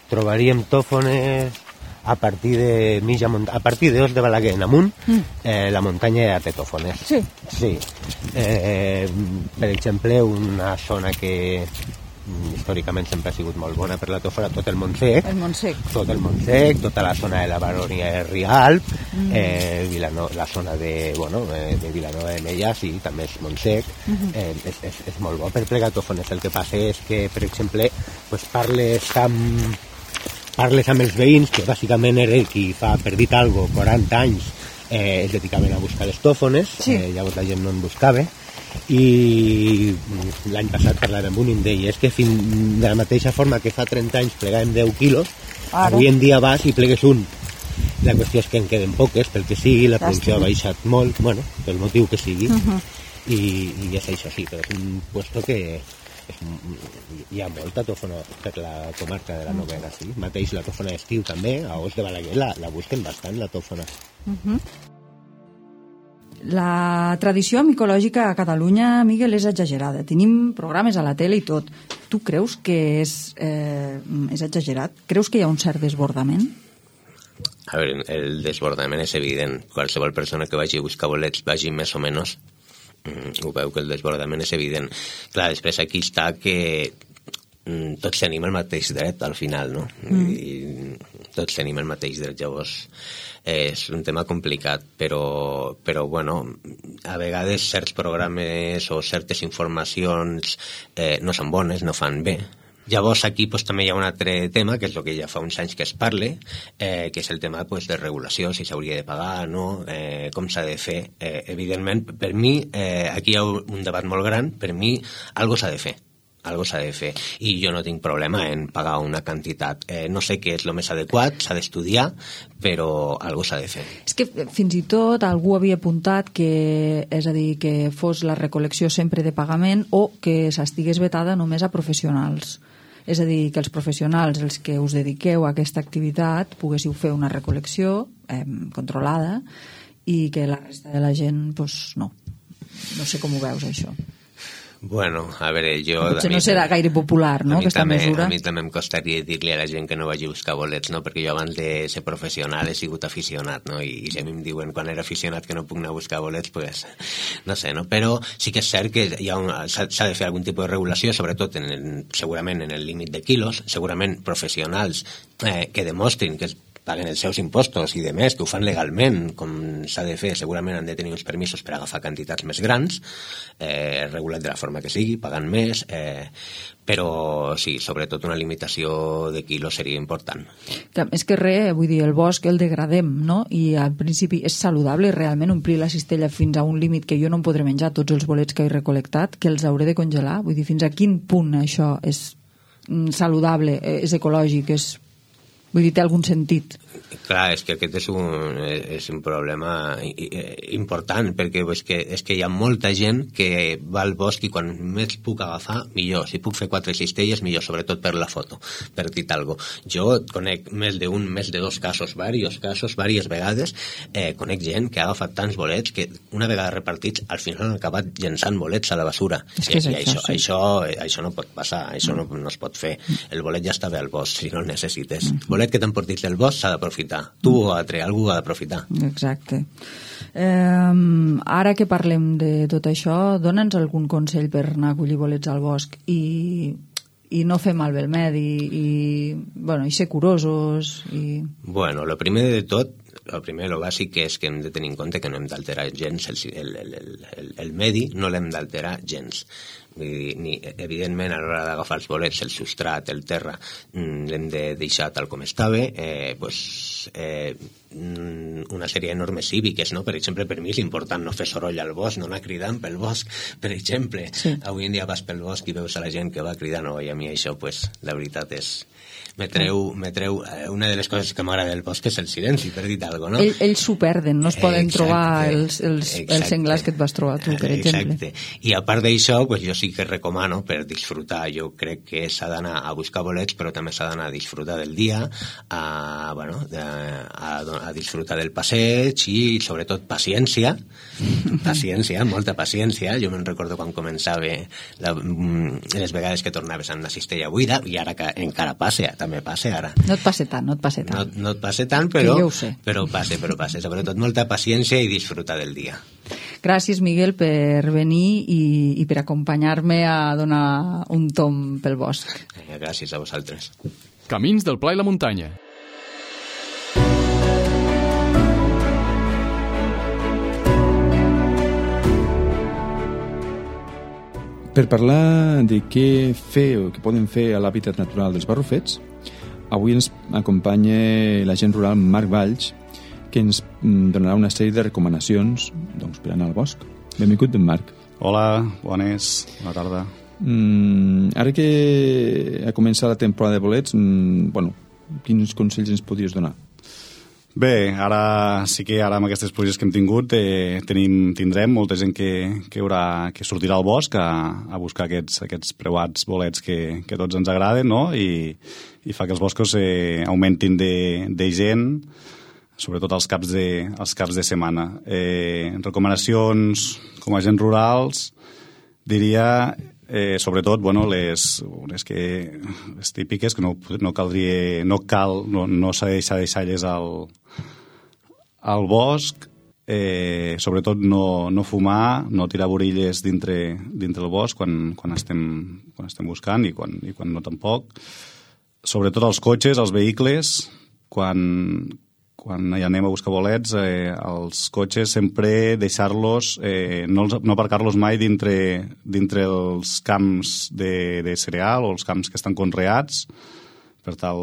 trobaríem tòfones a partir de mitja muntanya, a partir d'Os de Balaguer en amunt, mm. eh, la muntanya ja té tòfones. Sí. Sí. Eh, per exemple, una zona que històricament sempre ha sigut molt bona per la tòfona, tot el Montsec, el Montsec, tot el Montsec, tota la zona de la Baronia de Rialp, mm. eh, Vilano, la zona de, bueno, de Vilanova de Mella, sí, també és Montsec, mm-hmm. eh, és, és, és molt bo per plegar tòfones. El que passa és que, per exemple, pues parles amb, parles amb els veïns, que bàsicament era qui fa, per dir algo, quaranta anys, eh, es dedicaven a buscar les tòfones, sí. eh, llavors la gent no en buscava, i l'any passat parlàvem amb un i em deia és que fin, de la mateixa forma que fa trenta anys plegàvem deu quilos, ara. Avui en dia vas i plegues un. La qüestió és que en queden poques, pel que sigui, la producció ha baixat molt, bueno, pel motiu que sigui, uh-huh. i, i és això sí, però és un puesto que és, hi ha molta tòfona per la comarca de la Noguera, sí. Mateix la tòfona d'estiu també, a Os de Balaguer la, la busquen bastant, la tòfona. Uh-huh. La tradició micològica a Catalunya, Miguel, és exagerada. Tenim programes a la tele i tot. Tu creus que és, eh, és exagerat? Creus que hi ha un cert desbordament? A veure, el desbordament és evident. Qualsevol persona que vagi a buscar bolets vagi més o menys, mm, ho veu que el desbordament és evident. Clar, després aquí està que mm, tots tenim el mateix dret al final, no? Mm. I tots tenim el mateix dret, llavors és un tema complicat, però, però bueno, a vegades certs programes o certes informacions eh, no són bones, no fan bé. Llavors aquí pues, també hi ha un altre tema, que és el que ja fa uns anys que es parle, eh, que és el tema pues, de regulació, si s'hauria de pagar, no? eh, com s'ha de fer. Eh, evidentment, per mi, eh, aquí hi ha un debat molt gran, per mi, algo s'ha de fer. Algo s'ha de fer, i jo no tinc problema en pagar una quantitat. Eh, no sé què és el més adequat, s'ha d'estudiar, però algo s'ha de fer. És que fins i tot algú havia apuntat que, és a dir, que fos la recol·lecció sempre de pagament o que s'estigués vetada només a professionals. És a dir, que els professionals, els que us dediqueu a aquesta activitat, poguéssiu fer una recol·lecció eh, controlada i que la resta de la gent, doncs, no. No sé com ho veus, això. Bueno, a veure, jo... Potser no serà gaire popular, no?, aquesta també, mesura. A mi també em costaria dir-li a la gent que no vagi a buscar bolets, no?, perquè jo abans de ser professional he sigut aficionat, no?, i si a mi em diuen quan era aficionat que no puc anar a buscar bolets, pues, no sé, no?, però sí que és cert que hi ha un, s'ha, s'ha de fer algun tipus de regulació, sobretot en el, segurament en el límit de quilos, segurament professionals eh, que demostrin que paguen els seus impostos i de més, que ho fan legalment, com s'ha de fer, segurament han de tenir uns permisos per agafar quantitats més grans, eh, regulat de la forma que sigui, pagant més, eh, però sí, sobretot una limitació de quilos seria important. És que res, vull dir, el bosc el degradem, no? I al principi és saludable realment omplir la cistella fins a un límit que jo no em podré menjar tots els bolets que he recol·lectat, que els hauré de congelar? Vull dir, fins a quin punt això és saludable, és ecològic, és Vull dir, té algun sentit. Clar, és que aquest és un, és un problema important, perquè és que, és que hi ha molta gent que va al bosc i quan més puc agafar, millor. Si puc fer quatre cistelles, millor, sobretot per la foto, per dir alguna cosa. Jo conec més d'un, més de dos casos, diversos casos, diverses vegades, eh, conec gent que ha agafat tants bolets que una vegada repartits, al final han acabat llençant bolets a la basura. És que és I, i això, això, sí. això, això no pot passar, això no, no es pot fer. El bolet ja està bé al bosc, si no el necessites. El bolet que t'emportis del bosc s'ha d'aprofitar. Tu o altre, algú ha d'aprofitar. Exacte. Eh, ara que parlem de tot això, dona'ns algun consell per anar a collir bolets al bosc i, i no fer malbé el medi i, bueno, i ser curosos i... Bueno, lo primer de tot, el primer, lo bàsic, és que hem de tenir en compte que no hem d'alterar gens el, el, el, el, el medi, no l'hem d'alterar gens. Vull dir, ni, evidentment, a l'hora d'agafar els bolets, el substrat, el terra, l'hem de deixar tal com estava, eh, pues, eh, una sèrie de normes cíviques, no? Per exemple, per mi és important no fer soroll al bosc, no anar cridant pel bosc, per exemple. Sí. Avui en dia vas pel bosc i veus a la gent que va cridant, no, i a mi això, pues, la veritat és... Me treu, me treu, una de les coses que m'agrada del bosc és el silenci, per dir alguna cosa, no? Ells, ells s'ho perden, no es poden exacte, trobar els, els, els senglars que et vas trobar tu, per exemple. Exacte. I a part d'això, pues, jo sí que recomano per disfrutar, jo crec que s'ha d'anar a buscar bolets, però també s'ha d'anar a disfrutar del dia, a, bueno, a, a disfrutar del passeig i, sobretot, paciència. Paciència, molta paciència. Jo me'n recordo quan començava la, les vegades que tornaves amb una cistella buida, i ara que encara passa, també passa ara. No et passa tant, no et passa tant. No, no et passa tant, però, però passa, però passa. Sobretot molta paciència i disfrutar del dia. Gràcies, Miguel, per venir i, i per acompanyar-me a donar un tomb pel bosc. Gràcies a vosaltres. Camins del Pla i la Muntanya. Per parlar de què fer o què poden fer a l'hàbitat natural dels Barrufets, avui ens acompanya l'agent rural Marc Valls, que ens donarà una sèrie de recomanacions, doncs, per anar al bosc. Benvingut, ben Marc. Hola, bones, bona tarda. Mm, ara que ha començat la temporada de bolets, mm, bueno, quins consells ens podries donar? Bé, ara sí que ara amb aquestes pluges que hem tingut eh, tenim, tindrem molta gent que, que, haurà, que sortirà al bosc a, a buscar aquests, aquests preuats bolets que, que tots ens agraden, no? I, i fa que els boscos eh, augmentin de, de gent, sobretot els caps de, els caps de setmana. Eh, recomanacions com a agents rurals, diria... Eh, sobretot, bueno, les, les, que, les típiques que no, no caldria, no cal, no, no s'ha de deixar deixalles al, al bosc, eh, sobretot no, no fumar, no tirar borilles dintre, dintre el bosc quan, quan, estem, quan estem buscant i quan, i quan no tampoc. Sobretot els cotxes, els vehicles, quan, quan hi anem a buscar bolets, eh, els cotxes sempre deixar-los, eh, no, no aparcar-los mai dintre, dintre els camps de, de cereal o els camps que estan conreats, per tal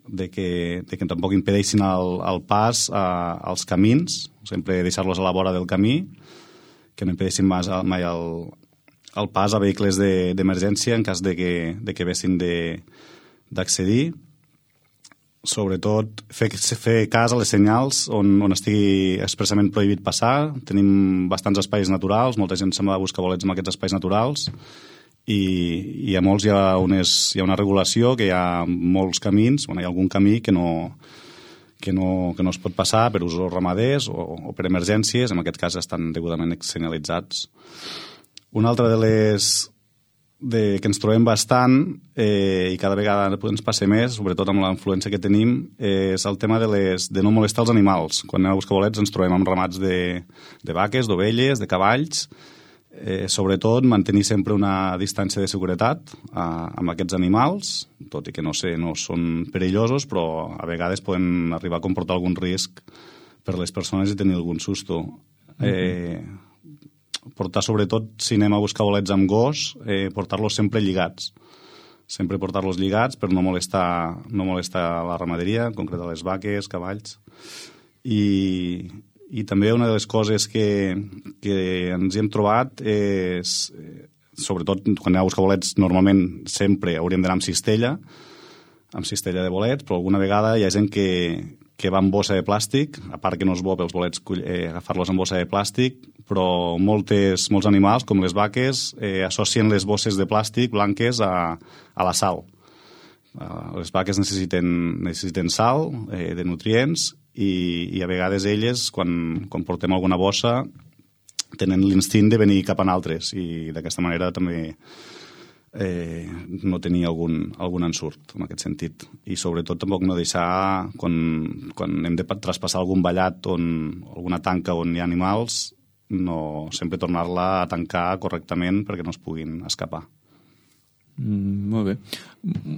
de que, de que tampoc impedeixin el, el pas a, als camins, sempre deixar-los a la vora del camí, que no impedeixin mai, mai el, el pas a vehicles d'emergència de, en cas de que, de que vessin d'accedir. Sobretot fer, fer cas a les senyals on, on estigui expressament prohibit passar. Tenim bastants espais naturals, molta gent se'n va a buscar bolets en aquests espais naturals i, i a molts hi ha, unes, hi ha una regulació, que hi ha molts camins, bueno, hi ha algun camí que no, que no, que no es pot passar per usos ramaders o, o per emergències, en aquest cas estan degudament senyalitzats. Una altra de les... De, que ens trobem bastant eh, i cada vegada ens passa més, sobretot amb la influència que tenim, eh, és el tema de, les, de no molestar els animals. Quan anem a buscar bolets ens trobem amb ramats de, de vaques, d'ovelles, de cavalls, eh, sobretot mantenir sempre una distància de seguretat a, amb aquests animals, tot i que no sé, no són perillosos, però a vegades poden arribar a comportar algun risc per les persones i tenir algun susto. Eh, mm-hmm. Portar, sobretot, si anem a buscar bolets amb gos, eh, portar-los sempre lligats. Sempre portar-los lligats per no molestar, no molestar la ramaderia, en concret a les vaques, cavalls. I, i també una de les coses que, que ens hem trobat és, sobretot quan anem a buscar bolets, normalment sempre hauríem d'anar amb cistella, amb cistella de bolets, però alguna vegada hi ha gent que, que va amb bossa de plàstic, a part que no és bo pels bolets eh, agafar-los amb bossa de plàstic, però moltes, molts animals, com les vaques, eh, associen les bosses de plàstic blanques a, a la sal. Uh, les vaques necessiten, necessiten sal, eh, de nutrients, i, i a vegades elles, quan, quan portem alguna bossa, tenen l'instint de venir cap a altres, i d'aquesta manera també eh, no tenir algun, algun ensurt en aquest sentit. I sobretot tampoc no deixar, quan, quan hem de traspassar algun vallat on alguna tanca on hi ha animals, no sempre tornar-la a tancar correctament perquè no es puguin escapar. Mm, molt bé.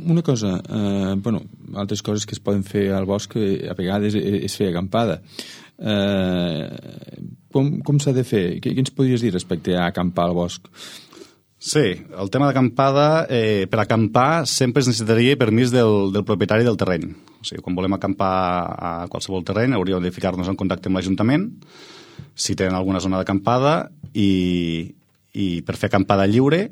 Una cosa, eh, bueno, altres coses que es poden fer al bosc eh, a vegades és fer acampada. Eh, com com s'ha de fer? Què, què ens podries dir respecte a acampar al bosc? Sí, el tema d'acampada, eh, per acampar sempre es necessitaria permís del, del propietari del terreny. O sigui, quan volem acampar a qualsevol terreny hauríem de ficar-nos en contacte amb l'Ajuntament, si tenen alguna zona d'acampada, i, i per fer acampada lliure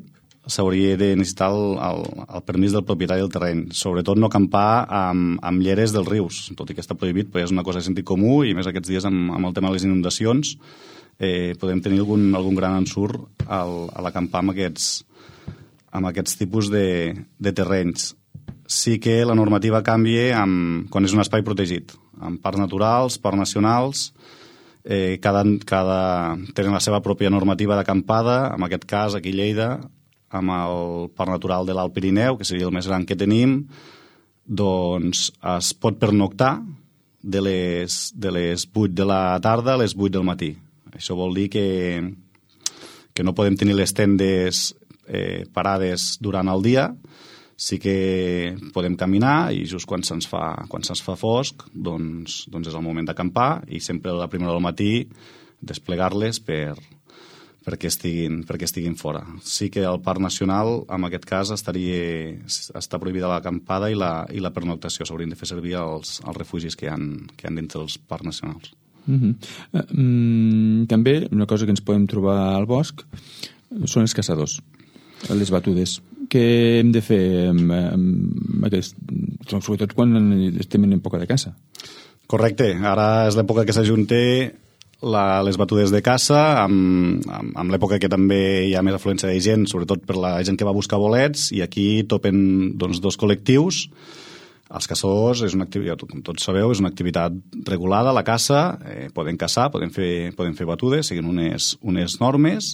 s'hauria de necessitar el, el, el permís del propietari del terreny. Sobretot no acampar amb, amb lleres dels rius, tot i que està prohibit, però és una cosa de sentit comú, i més aquests dies amb, amb el tema de les inundacions eh, podem tenir algun, algun gran ensurt al, a l'acampar amb aquests, amb aquests tipus de, de terrenys. Sí que la normativa canvia amb, quan és un espai protegit, amb parcs naturals, parcs nacionals. Eh, cada, cada, tenen la seva pròpia normativa d'acampada, en aquest cas aquí a Lleida, amb el Parc Natural de l'Alt Pirineu, que seria el més gran que tenim, doncs es pot pernoctar de les, de les vuit de la tarda a les vuit del matí. Això vol dir que, que no podem tenir les tendes eh, parades durant el dia, sí que podem caminar, i just quan se'ns fa, quan se'ns fa fosc, doncs, doncs és el moment d'acampar, i sempre a la primera del matí desplegar-les per, perquè, estiguin, perquè estiguin fora. Sí que el Parc Nacional, en aquest cas, estaria, està prohibida l'acampada i la, i la pernoctació. S'haurien de fer servir els, els refugis que hi ha, que hi ha dintre dels parcs nacionals. Uh-huh. uh, um, també una cosa que ens podem trobar al bosc són els caçadors, les batudes. Què hem de fer amb, amb aquest, sobretot quan estem en època de caça? Correcte, ara és l'època que s'ajunta la, les batudes de caça amb, amb, amb l'època que també hi ha més afluència de gent, sobretot per la gent que va buscar bolets, i aquí topen doncs, dos col·lectius. Els caçadors, és una activitat, com tots sabeu, és una activitat regulada, la caça, eh, poden caçar, poden fer, poden fer batudes, seguint unes, unes normes,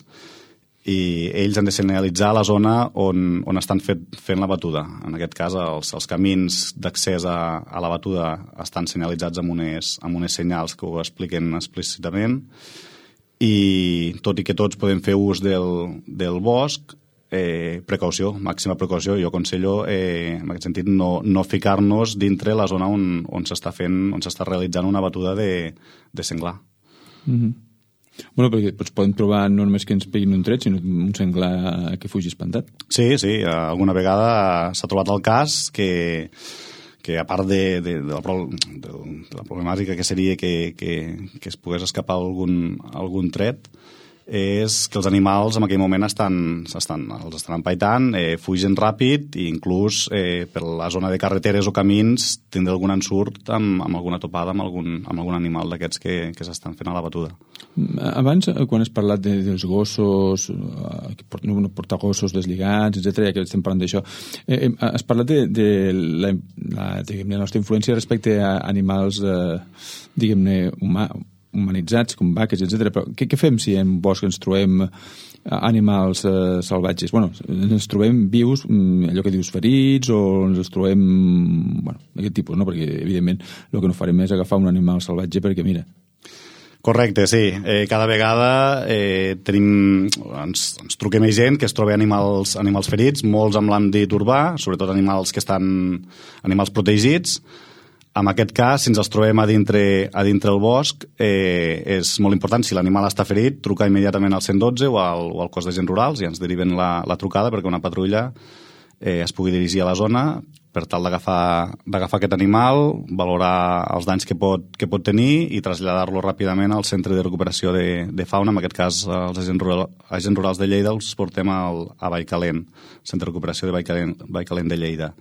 i ells han de senyalitzar la zona on, on estan fet, fent la batuda. En aquest cas, els, els camins d'accés a, a la batuda estan senyalitzats amb unes, amb unes senyals que ho expliquen explícitament, i tot i que tots podem fer ús del, del bosc, eh, precaució, màxima precaució. Jo aconsello, eh, en aquest sentit, no, no ficar-nos dintre la zona on, on s'està fent, on s'està realitzant una batuda de, de senglar. Mhm. Bueno, perquè doncs, podem trobar normes que ens peguin un tret, sinó un senglar que fugi espantat. Sí, sí, alguna vegada s'ha trobat el cas que, que a part de, de, de, la, de, de la problemàtica que seria que, que, que es pogués escapar algun, algun tret, és que els animals en aquell moment estan, estan, els estan empaitant, eh, fugen ràpid, i inclús eh, per la zona de carreteres o camins tindre algun ensurt amb, amb alguna topada amb algun, amb algun animal d'aquests que, que s'estan fent a la batuda. Abans, quan has parlat de, dels gossos, eh, no portar gossos deslligats, etcètera, ja que estem parlant d'això, eh, has parlat de, de la, la, diguem-ne, la nostra influència respecte a animals, eh, diguem-ne, humà, humanitzats, com vaques, etcètera. Però què, què fem si en bosc ens trobem animals eh, salvatges? Bueno, ens trobem vius, allò que dius ferits, o ens trobem, bueno, d'aquest tipus, no? Perquè, evidentment, el que no farem és agafar un animal salvatge perquè, mira... Correcte, sí. Eh, cada vegada eh, tenim, ens, ens truquem a gent que es troba animals, animals ferits, molts amb l'àmbit urbà, sobretot animals que estan animals protegits. En aquest cas, si ens els trobem a dintre, a dintre el bosc, eh, és molt important, si l'animal està ferit, trucar immediatament al cent dotze o al, o al cos d'agents rurals, i ens deriven la, la trucada perquè una patrulla eh, es pugui dirigir a la zona per tal d'agafar d'agafar aquest animal, valorar els danys que pot, que pot tenir i traslladar-lo ràpidament al centre de recuperació de, de fauna. En aquest cas, els agents, rural, agents rurals de Lleida els portem al, a Vallcalent, centre de recuperació de Vallcalent, Vallcalent de Lleida.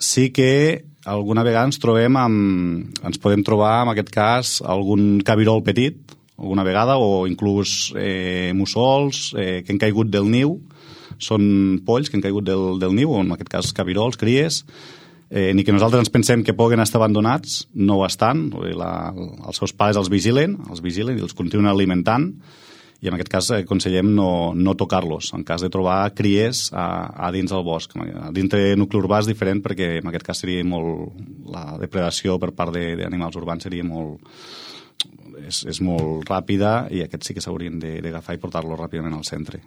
sí que alguna vegada ens trobem amb, ens podem trobar, en aquest cas, algun cabirol petit, alguna vegada, o inclús eh, mussols eh, que han caigut del niu, són polls que han caigut del, del niu, o en aquest cas cabirols, cries, eh, ni que nosaltres ens pensem que puguen estar abandonats, no ho estan, la, els seus pares els vigilen, els vigilen i els continuen alimentant, i en aquest cas aconsellem no, no tocar-los, en cas de trobar cries a, a dins del bosc. A dintre nucli urbà és diferent perquè en aquest cas seria molt... la depredació per part d'animals urbans seria molt... És, és molt ràpida i aquests sí que s'haurien d'agafar i portar-los ràpidament al centre.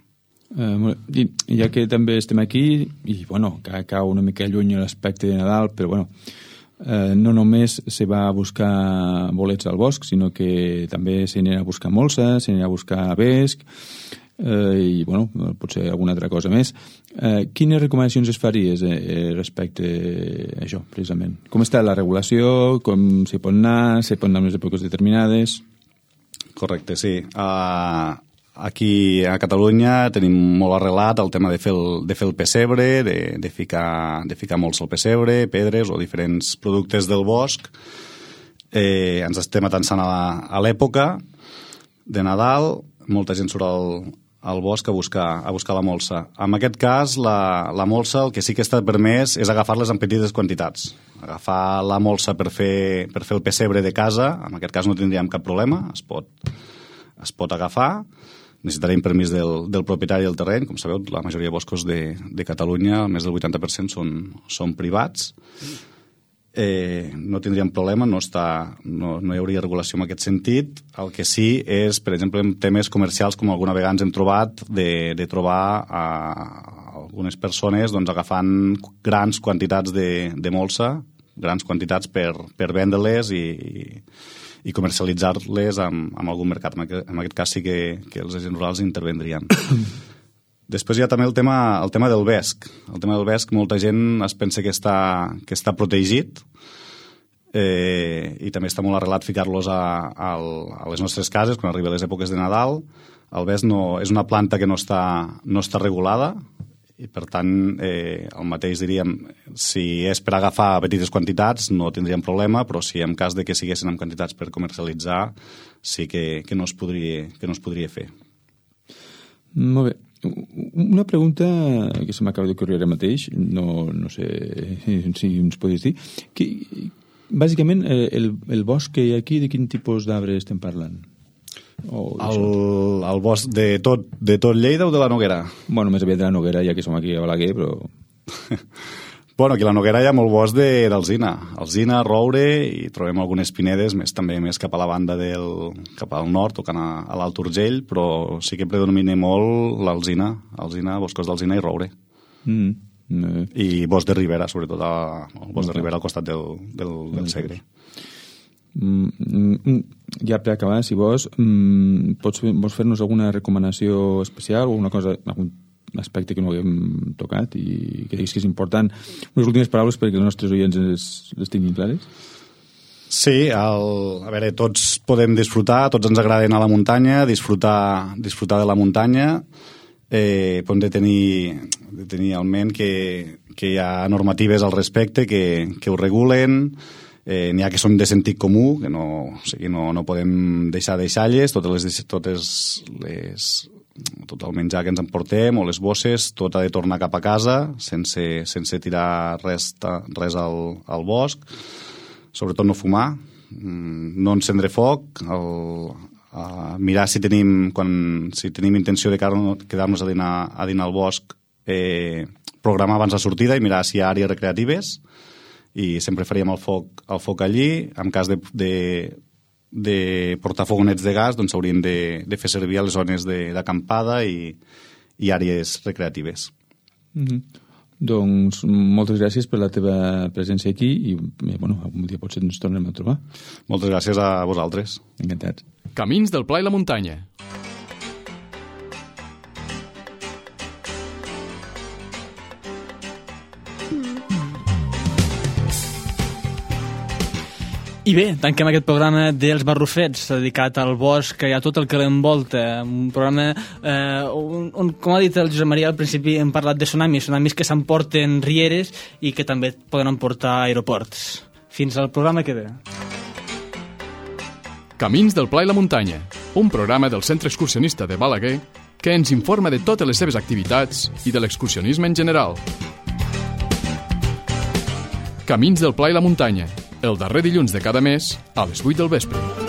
Uh, I, ja que també estem aquí, i bueno, que cau una mica lluny l'aspecte de Nadal, però bueno, eh, no només se va a buscar bolets al bosc, sinó que també se n'anirà a buscar molsa, se n'anirà a buscar vesc, eh, i bueno, potser alguna altra cosa més. Eh, quines recomanacions es faries eh, respecte a això, precisament? Com està la regulació? Com s'hi pot anar? Se pot anar en unes èpoques determinades? Correcte, sí. Uh, aquí a Catalunya tenim molt arrelat el tema de fer el, de fer el pessebre, de, de, ficar, de ficar molts al pessebre, pedres o diferents productes del bosc. Eh, ens estem atansant a l'època de Nadal, molta gent surt al, al bosc a buscar, a buscar la molsa. En aquest cas, la, la molsa, el que sí que està permès és agafar-les en petites quantitats. Agafar la molsa per fer, per fer el pessebre de casa, en aquest cas no tindríem cap problema, es pot, es pot agafar. Necessitarem permís del, del propietari del terreny. Com sabeu, la majoria de boscos de, de Catalunya, més del vuitanta per cent són, són privats. Eh, no tindríem problema, no, està, no, no hi hauria regulació en aquest sentit. El que sí és, per exemple, en temes comercials, com alguna vegada ens hem trobat, de, de trobar a algunes persones doncs, agafant grans quantitats de, de molsa, grans quantitats per, per vendre-les i, i i comercialitzar-les amb, amb algun mercat. En aquest, en aquest cas sí que, que els agents rurals intervendrien. Després hi ha també el tema, el tema del vesc. El tema del vesc, molta gent es pensa que està, que està protegit eh, i també està molt arrelat ficar-los a, a, a les nostres cases quan arriben les èpoques de Nadal. El vesc no, és una planta que no està, no està regulada i per tant eh, el mateix diríem, si és per agafar petites quantitats no tindríem problema, però si en cas de que siguessin en quantitats per comercialitzar sí que, que, no, es podria, que no es podria fer. Molt bé. Una pregunta que se m'acaba d'ocorrir ara mateix, no, no sé si ens podries dir, que, bàsicament el, el bosc que hi ha aquí, de quin tipus d'arbre estem parlant? Oh, el, el bosc de tot, de tot Lleida o de la Noguera? Bueno, més aviat de la Noguera, ja que som aquí a Balaguer, però... bueno, aquí a la Noguera hi ha molt bosc d'alzina. Alzina, roure, i trobem algunes pinedes, més també més cap a la banda del... cap al nord, tocant a, a l'Alt Urgell, però sí que predomina molt l'alzina, alzina, boscos d'alzina i roure. Mm. Mm. I bosc de ribera, sobretot a, el bosc de ribera al costat del, del, del Segre. Mm, ja per acabar, si vols, mm, pots, vols fer-nos alguna recomanació especial o una cosa, algun aspecte que no haguem tocat i que diguis que és important? Unes últimes paraules perquè els nostres oients les, les tinguin clares? Sí, el, a veure, tots podem disfrutar, tots ens agrada anar a la muntanya, disfrutar, disfrutar de la muntanya, eh, però hem de tenir, de tenir al ment que, que hi ha normatives al respecte que, que ho regulen. Eh, n'hi ha que són de sentit comú, que no, o sigui, no, no podem deixar deixalles, totes les, totes les, tot el menjar que ens emportem o les bosses, tot ha de tornar cap a casa sense, sense tirar res, res al, al bosc, sobretot no fumar, no encendre foc, el, a mirar si tenim, quan, si tenim intenció de quedar-nos a dinar, a dinar al bosc, eh, programar abans la sortida i mirar si hi ha àrees recreatives, i sempre faríem el foc, el foc allí. En cas de, de, de portar fogonets de gas, doncs haurien de, de fer servir a les zones d'acampada i, i àrees recreatives. Mm-hmm. Doncs moltes gràcies per la teva presència aquí i bueno, algun dia potser ens tornem a trobar. Moltes gràcies a vosaltres. Encantats. Camins del Pla i la Muntanya. I bé, tanquem aquest programa dels Barrufets, dedicat al bosc i a tot el que l'envolta. Un programa eh, on, on, com ha dit el Josep Maria al principi, hem parlat de tsunamis, tsunamis que s'emporten rieres i que també poden emportar aeroports. Fins al programa que ve. Camins del Pla i la Muntanya, un programa del Centre Excursionista de Balaguer que ens informa de totes les seves activitats i de l'excursionisme en general. Camins del Pla i la Muntanya, el darrer dilluns de cada mes a les vuit del vespre.